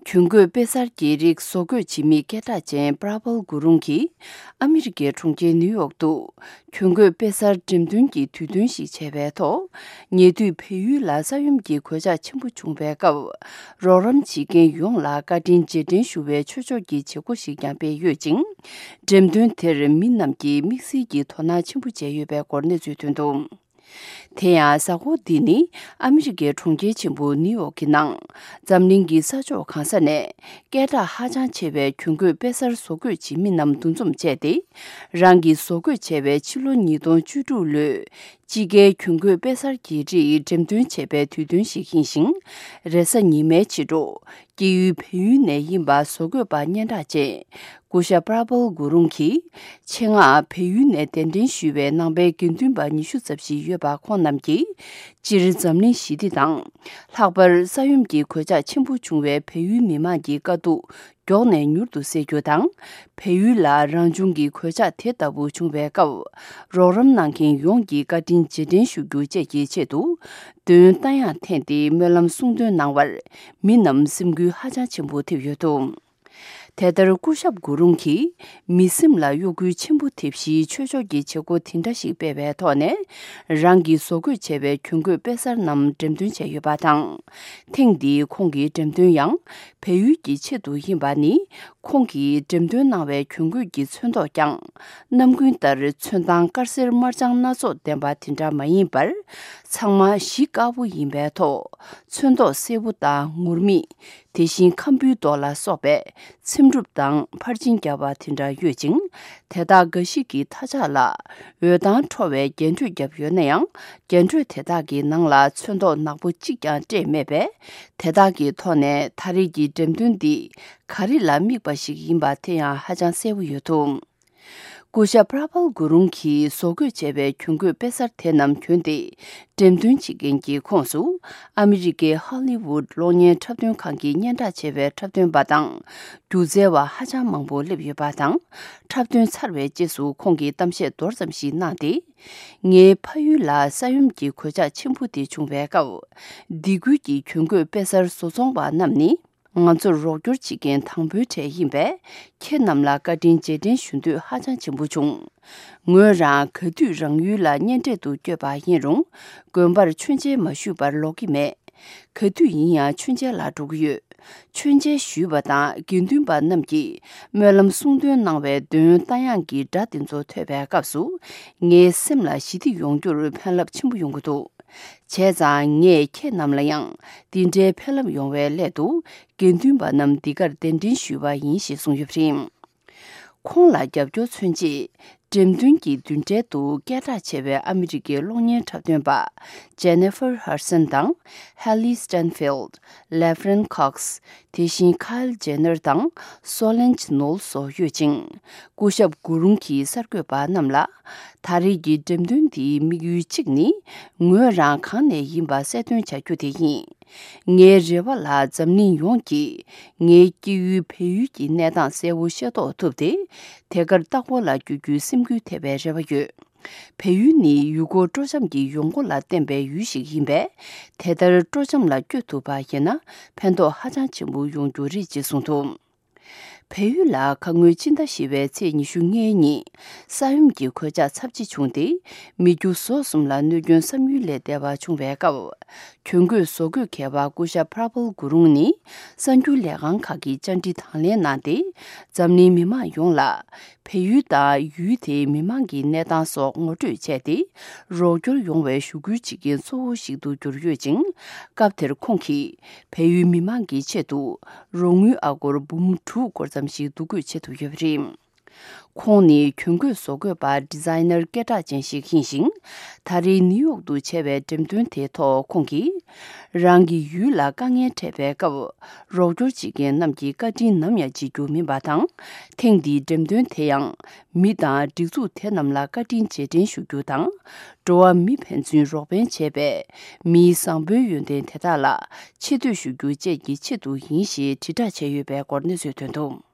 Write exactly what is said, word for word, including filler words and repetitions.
གྱོན་གོས་དཔེ་གསར་གྱི་རིགས་བཟོ་བཀོད་བྱེད་མི་སྐད་གྲགས་ཅན་པྲ་པལ་གུ་རུང་གིས་ཨ་མི་རི་ཀའི་གྲོང་ཁྱེར་ནིའུ་ཡོག་ཏུ་གྱོན་གོས་དཔེ་གསར་འགྲེམས་སྟོན་གྱི་དུས་སྟོན་ཞིག་བྱས་པའི་ཐོག་ཉེ་དུས་བལ་ཡུལ་ལ་ས་ཡོམ་གྱི་གོད་ཆག་ཆེན་པོ་བྱུང་བའི་སྐབས། རོགས་རམ་བྱེད་མཁན་ཡོངས་ལ་བཀའ་དྲིན་རྗེས་དྲན་ཞུ་བའི་ཆོས་ཕྱོགས་ཀྱི་བྱེད་སྒོ་ཞིག་ཀྱང་སྤེལ་ཡོད་ཅིང་། འགྲེམས་སྟོན་དེར་མི་རྣམས་ཀྱིས་དམིགས་བསལ་གྱི་དོ་སྣང་ཆེན་པོ་བྱས་ཡོད་པའི་སྐོར་གནས་ཚུལ་ཐོན་འདུག་དེ་ཡང་། གཟའ་འཁོར་འདི་ནི་ཨ་མི་རི་ཀའི་གྲོང་ཁྱེར་ཆེན་པོ་ནིའུ་ཡོག་གི་ནང་འཛམ་གླིང་གི་ས་ཕྱོགས་གང་ས་ནས་སྐད་གྲགས་ཧ་ཅང་ཆེ་བའི་གྱོན་གོས་དཔེ་གསར་བཟོ་བཀོད་བྱེད་མི་རྣམས་འདུ་འཛོམས་བྱས་ཏེ། རང་གིས་བཟོ་བཀོད་བྱས་པའི་ཕྱི་ལོ་ཉིས་སྟོང་བཅུ་དྲུག་ལོའི་དཔྱིད་ཀའི་གྱོན་གོས་དཔེ་གསར་གྱི་རིགས་འགྲེམས་སྟོན་བྱས་པའི་དུས་སྟོན་ཞིག་ཡིན་ཞིང་། རེས་གཟའ་ཉི་མའི་ཕྱི་དྲོ། སྐྱེས་ཡུལ་བལ་ཡུལ་ནས་ཡིན་པ་བཟོ་བཀོད་པ་སྙན་གྲགས་ཅན། སྐུ་ཞབས་པྲ་པལ་གུ་རུང་གིས། ཆེད་མངགས་བལ་ཡུལ་ནས་གདན་འདྲེན་ཞུས་པའི་ནང་པའི་དགེ་འདུན་པ་ཉི་ཤུ་ཙམ་ཞིག་ཡོད་པ་ཁོང་རྣམས་ཀྱིས། སྤྱིར་འཛམ་གླིང་ཞི་བདེ་དང་། ལྷག་པར་ས་ཡོམ་གྱི་གོད་ཆག་ཆེན་པོ་བྱུང་བའི་བལ་ཡུལ་མི་མང་གི་དཀའ་སྡུག་མགྱོགས་ནས་མྱུར་དུ་སེལ་རྒྱུ་དང་། བལ་ཡུལ་ལ་རང་བྱུང་གི་གོད་ཆག་དེ་ལྟ་བུ་བྱུང་བའི་སྐབས། རོགས་རམ་གནང་མཁན་ཡོངས་ཀྱི་བཀའ་དྲིན་རྗེས་དྲན་ཞུ་རྒྱུ་བཅས་ཀྱི་ཆེད་དུ། འདོན་རྟ་དབྱངས་འཐེན་ཏེ་སྨོན་ལམ་གསུང་འདོན་གནང་བར། མི་རྣམས་སེམས་འགུལ་ཧ་ཅང་ཆེན་པོ་ཐེབས་ཡོད་འདུག་དེ་ལྟར་སྐུ་ཞབས་གུ་རུང་གིས་མི་སེམས་ལ་གཡོ་འགུལ་ཆེན་པོ་ཐེབས་གཞིའི་ཆོས་ཕྱོགས་ཀྱི་བྱེད་སྒོ་དེ་འདྲ་ཞིག་སྤེལ་བའི་ཐོག་ནས། རང་གིས་བཟོ་བཀོད་བྱས་པའི་གྱོན་གོས་དཔེ་གསར་རྣམས་འགྲེམས་སྟོན་བྱས་ཡོད་པ་དང་། ཐེངས་འདིའི་ཁོང་གི་འགྲེམས་སྟོན་ཡང་བལ་ཡུལ་གྱི་ཆེད་དུ་ཡིན་པ་ནི། ཁོང་གིས་འགྲེམས་སྟོན་གནང་བའི་གྱོན་གོས་ཀྱི་ཚོན་མདོག་ཀྱང་། ནམ་རྒྱུན་ལྟར་ཚོན་མདངས་དཀར་སེར་དམར་ལྗང་སྣ་ཚོགས་ལྡན་པ་དེ་འདྲ་མ་ཡིན་པར། ཚང་མ་གཞི་དཀར་པོ་ཡིན་པའི་ཐོག་ཚོན་མདོག་སེར་པོ་དང་ངུར་སྨྲིག་དེ་བཞིན་ཁམ་བུའི་མདོག་ལ་སོགས་པའི་ཚེམ་དྲུབ་དང་ཕར་ཕྱིན་བརྒྱབ་པ་དེ་འདྲ་ཡོད་ཅིང་། དེ་དག་འགའ་ཞིག་གི་མཐའ་ལྕགས་ལ་འོད་མདངས་འཕྲོ་བའི་རྒྱན་སྤྲོས་བརྒྱབ་ཡོད་ན་ཡང་། རྒྱན་སྤྲོས་དེ་དག་གི་ནང་ལ་ཚོན་མདོག་ནག་པོ་གཅིག་ཀྱང་སྤྲས་མེད་པས། དེ་དག་གི་ཐོག་ནས་ད་རེས་ཀྱི་འགྲེམས་སྟོན་འདི་ག་རེ་ལ་དམིགས་པ་ཞིག་ཡིན་པ་དེ་ཡང་ཧ་ཅང་གསལ་པོ་ཡོད་འདུག་སྐུ་ཞབས་པྲ་པལ་གུ་རུང་གིས་བཟོ་བཀོད་བྱས་པའི་གྱོན་གོས་དཔེ་གསར་དེ་རྣམས་གྱོན་ཏེ། འགྲེམས་སྟོན་བྱེད་མཁན་གྱི་ཁོངས་སུ། ཨ་མི་རི་ཀའི་ཧོ་ལི་ཝུད་གློག་བརྙན་འཁྲབ་སྟོན་ཁང་གི་སྙན་གྲགས་ཆེ་བའི་འཁྲབ་སྟོན་པ་དང་། སྒྱུ་རྩལ་བ་ཧ་ཅང་མང་པོ་སླེབས་ཡོད་པ་དང་། འཁྲབ་སྟོན་ཚར་བའི་རྗེས་སུ་ཁོང་གིས་གཏམ་བཤད་མདོར་ཙམ་ཞིག་གནང་སྟེ། ངའི་ཕ་ཡུལ་ལ་ས་ཡོམ་གྱི་གོད་ཆག་ཆེན་པོ་དེ་བྱུང་བའི་སྐབས། སྡེ་ཁུལ་གྱི་གྱོན་གོས་དཔེ་གསར་བཟོ་ཚོང་པ་རྣམས་ནི། ང་ཚོར་རོགས་སྐྱོར་བྱེད་མཁན་དང་པོའི་གྲས་ཡིན་པས། ཁྱེད་རྣམས་ལ་བཀའ་དྲིན་རྗེས་དྲན་ཞུ་འདོད་ཧ་ཅང་ཆེན་པོ་བྱུང་། ངོས་རང་ག་དུས་རང་ཡུལ་ལ་གཉེན་འཕྲད་དུ་བསྐྱོད་པ་ཡིན་རུང་། དགོན་པར་མཆོད་མཇལ་མ་ཞུས་པར་ལོག་གི་མེད། ག་དུས་ཡིན་ཡང་མཆོད་མཇལ་ལ་འགྲོ་གི་ཡོད། མཆོད་མཇལ་ཞུས་པ་དང་དགེ་འདུན་པ་རྣམས་ཀྱིས་སྨོན་ལམ་གསུང་འདོན་གནང་བའི་འདོན་རྟ་དབྱངས་ཀྱི་སྒྲ་དེ་ཚོ་ཐོས་པའི་སྐབས་སུ། ངའི་སེམས་ལ་ཞི་བདེ་ཡོང་རྒྱུར་ཕན་རླབས་ཆེན་པོ་ཡོང་གི་འདུག་བྱས་ཙང་ངས་ཁྱེད་རྣམས་ལ་ཡང་འདི་འདྲའི་ཕན་རླབས་ཡོང་བའི་སླད་དུ། དགེ་འདུན་པ་རྣམས་འདི་གར་གདན་འདྲེན་ཞུས་པ་ཡིན་ཞེས་གསུངས་ཡོད་པ་རེད། ཁོང་ལ་རྒྱབ་སྐྱོར་མཚོན་ཆེད། འགྲེམས་སྟོན་གྱི་མདུན་གྲལ་དུ་སྐད་གྲགས་ཆེ་བའི་ཨ་མི་རི་ཀའི་གློག་བརྙན་འཁྲབ་སྟོན་པ། Jennifer Hudson དང་། Hailee Steinfeld། Laverne Cox། དེ་བཞིན་Kylie Jenner དང་། Solange Knowles སོགས་ཡོད་ཅིང་། སྐུ་ཞབས་གུ་རུང་གིས་གསར་འགོད་པ་རྣམས་ལ། ད་རེས་ཀྱི་འགྲེམས་སྟོན་འདིའི་དམིགས་ཡུལ་གཅིག་ནི། ངོས་རང་གང་ནས་ཡིན་པ་གསལ་སྟོན་བྱ་རྒྱུ་དེ་ཡིན། ངའི་རེ་བ་ལ་འཛམ་གླིང་ཡོངས་ཀྱིས་ངའི་སྐྱེས་ཡུལ་བལ་ཡུལ་གྱི་གནས་སྟངས་གསལ་བོ་ཤེས་རྟོགས་ཐུབ་སྟེ། དེ་གར་ལྟ་སྐོར་ལ་བསྐྱོད་རྒྱུའི་སེམས་འགུལ་ཐེབས་པའི་རེ་བ་ཡོད། བལ་ཡུལ་ནི་ཡུལ་སྐོར་སྤྲོ་འཆམ་གྱི་ཡོང་སྒོ་ལ་བརྟེན་པའི་ཡུལ་ཞིག་ཡིན་པས། དེ་ལྟར་སྤྲོ་འཆམ་ལ་བསྐྱོད་ཐུབ་པ་ཡིན་ན་ཕན་ཐོགས་ཧ་ཅང་ཆེན་པོ་ཡོང་རྒྱུ་རེད་ཅེས་གསུངས་འདུག་བལ་ཡུལ་ལ་ཁ་སྔོན་ཕྱི་ཟླ་བཞི་པའི་ཚེས་ཉི་ཤུ་ལྔའི་ཉིན། ས་ཡོམ་གྱི་གོད་ཆག་ཚབས་ཆེ་བྱུང་སྟེ། མི་རྒྱུ་ཟོག་གསུམ་ལ་གནོད་སྐྱོན་བསམ་ཡུལ་ལས་འདས་པ་བྱུང་བའི་སྐབས། གྱོན་གོས་བཟོ་བཀོད་མཁས་པ་སྐུ་ཞབས་པྲ་པལ་གུ་རུང་ནི། གསར་འགྱུར་ལས་ཁང་ཁག་གི་བཅར་འདྲི་དང་ལེན་གནང་སྟེ། འཛམ་གླིང་མི་མང་ཡོངས་ལ། བལ་ཡུལ་དང་ཡུལ་དེའི་མི་མང་གི་གནས་སྟངས་སོགས་ངོ་སྤྲོད་བྱས་ཏེ། རོགས་སྐྱོར་ཡོང་བའི་ཞུ་སྐུལ་བྱེད་མཁན་གཙོ་བོ་ཞིག་ཏུ་གྱུར་ཡོད་ཅིང་། སྐབས་དེར་ཁོང་གིས། བལ་ཡུལ་མི་མང་གི་ཆེད་དུ། རོགས་དངུལ་ཨ་སྒོར་འབུམ་དྲུག་སྐོར་ཙམ་ཞིག་བསྡུ་འགོད་བྱེད་ཐུབ་ཡོད་པ་རེད། ཁོང་ནི་གྱོན་གོས་བཟོ་བཀོད་པ་ཌི་ཛའི་ནར་སྐད་གྲགས་ཅན་ཞིག་ཡིན་ཞིང་། ད་རེས་ནིའུ་ཡོག་ཏུ་བྱས་པའི་འགྲེམས་སྟོན་དེའི་ཐོག་ཁོང་གིས། རང་གི་ཡུལ་ལ་དཀའ་ངལ་འཕྲད་པའི་སྐབས། རོགས་སྐྱོར་བྱེད་མཁན་རྣམས་ཀྱི་བཀའ་དྲིན་ནམ་ཡང་བརྗེད་རྒྱུ་མིན་པ་དང་། ཐེངས་འདིའི་འགྲེམས་སྟོན་དེ་ཡང་། མི་དང་སྒྲིག་འཛུགས་དེ་རྣམས་ལ་བཀའ་དྲིན་རྗེས་དྲན་ཞུ་རྒྱུ་དང་། འགྲོ་བ་མི་ཕན་ཚུན་རོགས་ཕན་བྱས་པའི། མིའི་བཟང་པོའི་ཡོན་ཏན་དེ་དག་ལ་ཆེ་བསྟོད་ཞུ་རྒྱུ་བཅས་ཀྱི་ཆེད་དུ་ཡིན་ཞེས་དྲིལ་བསྒྲགས་བྱས་ཡོད་པའི་སྐོར་གནས་ཚུལ་ཐོན་འདུག